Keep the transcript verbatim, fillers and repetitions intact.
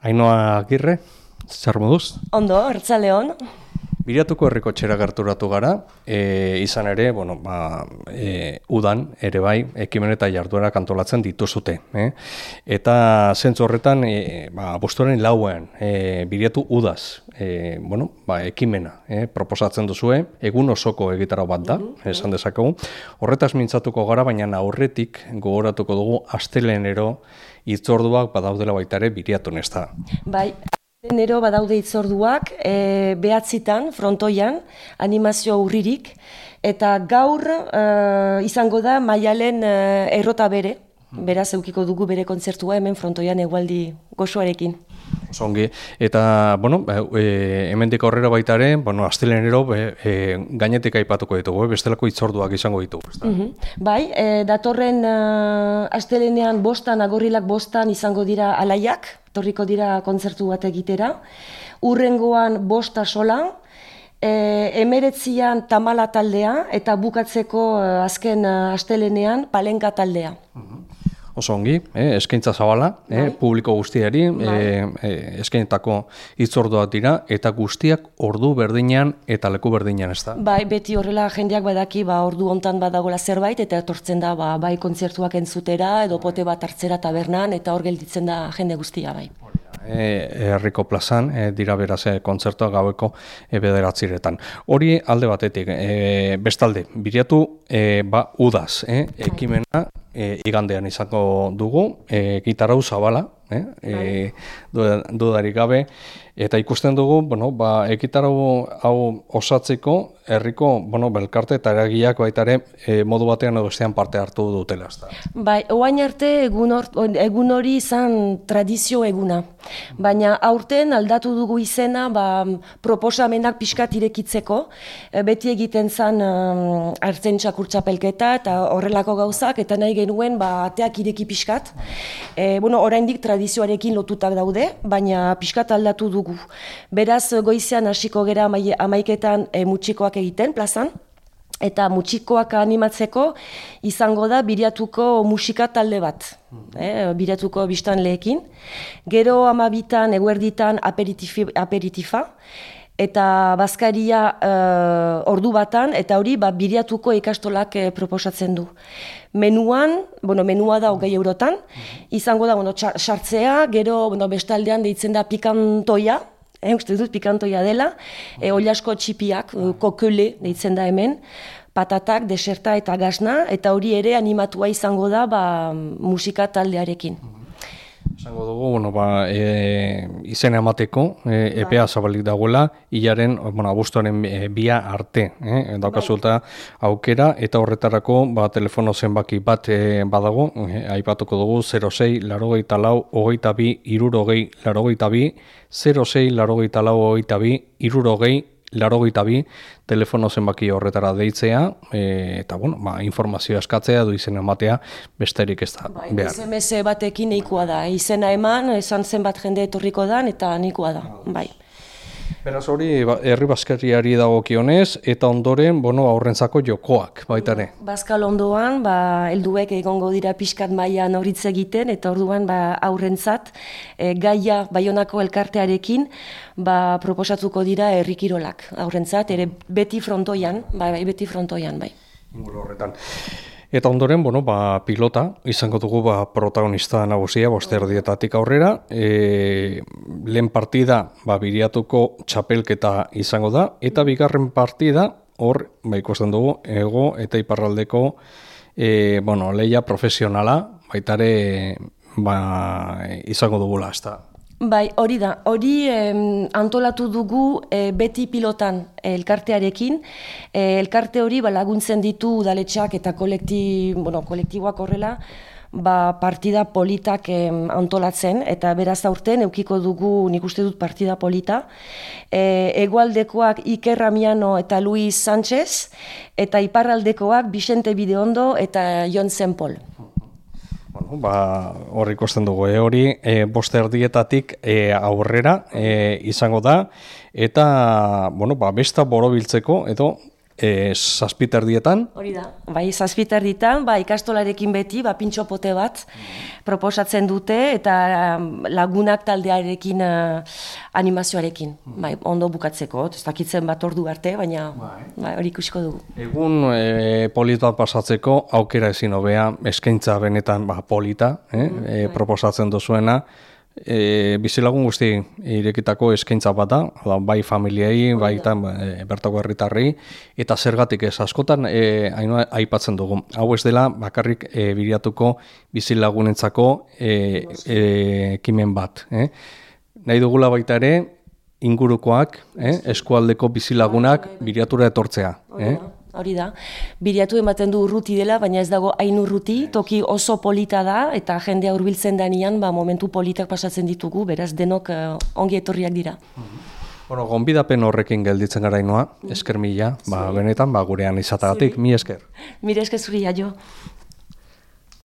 Ainhoa Agirre, zer moduz? Ondo, Arratsaldeon. Biriatuko herriko txera gerturatu gara, e, izan ere, bueno, ba, e, udan, ere bai, ekimen eta jarduerak antolatzen dituzute. Eh? Eta zentzu horretan, e, ba, abuztuaren lauean, e, biriatu udaz, e, bueno, ba, ekimena eh, proposatzen duzue, egun osoko egitarau bat da, mm-hmm. esan dezakegu. Horretaz mintzatuko gara, baina aurretik gogoratuko dugu astelenero hitzorduak badaudela baita ere biriatun ez da. Bai. Enero badaude hitzorduak, e, behatzitan, frontoian, animazio urririk, eta gaur e, izango da Maialen e, errota bere, beraz eukiko dugu bere kontzertua hemen frontoian egualdi gozoarekin. Zongi, eta, bueno, e, hemendik aurrera baita ere, bueno, astelenero e, gainetik aipatuko ditugu, bestelako hitzorduak izango ditugu. Mm-hmm. Bai, e, datorren e, astelenean bostan, agorrilak bostan izango dira alaiak, torriko dira kontzertu bat egitera, urrengoan bosta sola, e, emeretzian tamala taldea, eta bukatzeko e, azken e, astelenean palenka taldea. Mm-hmm. Oso ongi, eh, eskaintza zabala, eh, publiko guztiari, eh, eh, eskainetako hitzorduak dira, eta guztiak ordu berdinean eta leku berdinean, ez da? Bai, beti horrela jendeak badaki, ba, ordu hontan badagola zerbait, eta etortzen da, ba, bai kontzertuak entzutera, edo pote bat hartzera tabernan, eta hor gelditzen da jende guztia, bai. Herriko plazan, e, dira beraz e, kontzertua gaueko e, bederatziretan. Hori alde batetik, e, bestalde, biriatu e, ba, udaz, e, ekimena e, igandean izango dugu, e, gitarau zabala, e, e, dudarik gabe, eta ikusten dugu, bueno, ba, ekitarau hau osatzeko, herriko, bueno, belkarte eta eragileak baita ere e, modu batean edo bestean parte hartu dutela. Bai, oain arte egun, or, egun hori izan tradizio eguna, baina aurten aldatu dugu izena ba, proposamenak pixkat irekitzeko, e, beti egiten zan um, hartzen txakurtxapelketa eta horrelako gauzak, eta nahi genuen ba, ateak ireki pixkat. E, bueno, oraindik tradizioarekin lotutak daude, baina pixkat aldatu dugu. Beraz, goizean hasiko gera amaiketan e, mutxikoak egiten plazan, eta mutxikoak animatzeko izango da biriatuko musika talde bat, eh, biriatuko biztanleekin. Gero amabitan, eguerditan aperitifa, eta bazkaria uh, ordu batan, eta hori ba, biriatuko ikastolak eh, proposatzen du. Menuan, bueno, menua da hogei eurotan, izango da bueno, sartzea, gero bueno, bestaldean deitzen da pikantoia, eh, uste dut pikantoia dela, e, oliasko txipiak, kokele deitzen da hemen, patatak, deserta eta gasna, eta hori ere animatua izango da ba, musika taldearekin. Esango dugu, bueno, ba, e, izena emateko, e, epea zabalik dagoela, hilaren, bueno, abuztuaren e, bia arte, eh, daukazulta aukera, eta horretarako, ba, telefono zenbaki bat e, badago, e, aipatuko dugu, zero sei, larogeita lau, hogeita bi, irurogei, larogeita bi, zero sei, larogeita lau, hogeita bi, irurogei, larogeita bi, telefono zenbaki horretara deitzea, e, eta bueno, ba, informazioa eskatzea, du izena ematea, besterik ez da ba, behar. S M S batekin nahikoa da, izena eman, esan zenbat jende etorriko da, eta nahikoa da, bai. Beraz hori, herri bazkariari dagokionez, eta ondoren, bueno, aurrentzako jokoak, baita ere. Bazkal ondoan, ba, helduek egongo dira pixkat mailan horitz egiten, eta orduan ba, aurrentzat, e, gaia Baionako elkartearekin, ba, proposatuko dira herri kirolak aurrentzat, ere beti frontoian, bai, bai, beti frontoian, bai. Inguru horretan. Eta ondoren, bueno, ba, pilota, izango dugu ba, protagonista nagusia, boste erdietatik aurrera. E, lehen partida, ba, biriatuko txapelketa izango da, eta bigarren partida, hor, ba, ikusten dugu, ego eta iparraldeko, e, bueno, leia profesionala, baitare, ba, izango dugula, ez da. Bai, hori da. Hori eh, antolatu dugu eh, beti pilotan eh, elkartearekin. Eh, elkarte hori ba, laguntzen ditu udaletxeak eta kolekti, bueno, kolektiboak horrela ba, partida politak eh, antolatzen, eta beraz aurten eukiko dugu nik uste dut partida polita. Eh, Hegoaldekoak Iker Ramiano eta Luis Sánchez, eta iparraldekoak Vicente Bideondo eta Jon Zenpol. Bueno, ba, hor ikusten dugu, e, hori e, boste erdietatik e, aurrera e, izango da, eta bueno, ba, besta borobiltzeko edo e, zazpiterdietan. Hori da, bai, zazpiterditan, ba, ikastolarekin beti, ba, pintxopote bat proposatzen dute, eta lagunak taldearekin uh, animazioarekin, bai, ondo bukatzeko, ez dakitzen bat ordu arte, baina bai, hori ikusiko dugu. Egun e, polit bat pasatzeko, aukera ezin hobea, eskaintza benetan ba, polita, eh? e, proposatzen duzuena, E, bizilagun guzti irekitako eskaintza bat da, bai familiei, bai eta e, bertako herritarrei, eta zergatik ez askotan e, hainua, aipatzen dugu. Hau ez dela bakarrik e, biriatuko bizilagunentzako e, e, ekimen bat. Eh? Nahi dugula baita ere, ingurukoak, eh? eskualdeko bizilagunak biriatura etortzea. Eh? Hori da, biriatu ematen du urruti dela, baina ez dago hain urruti, toki oso polita da, eta jendea hurbiltzen danean, ba, momentu politak pasatzen ditugu, beraz denok uh, ongi etorriak dira. Bueno, gonbidapen horrekin gelditzen gara Ainhoa, esker mila, ba, benetan, ba, gurean izatagatik, mi esker. Mire esker zuri, aio.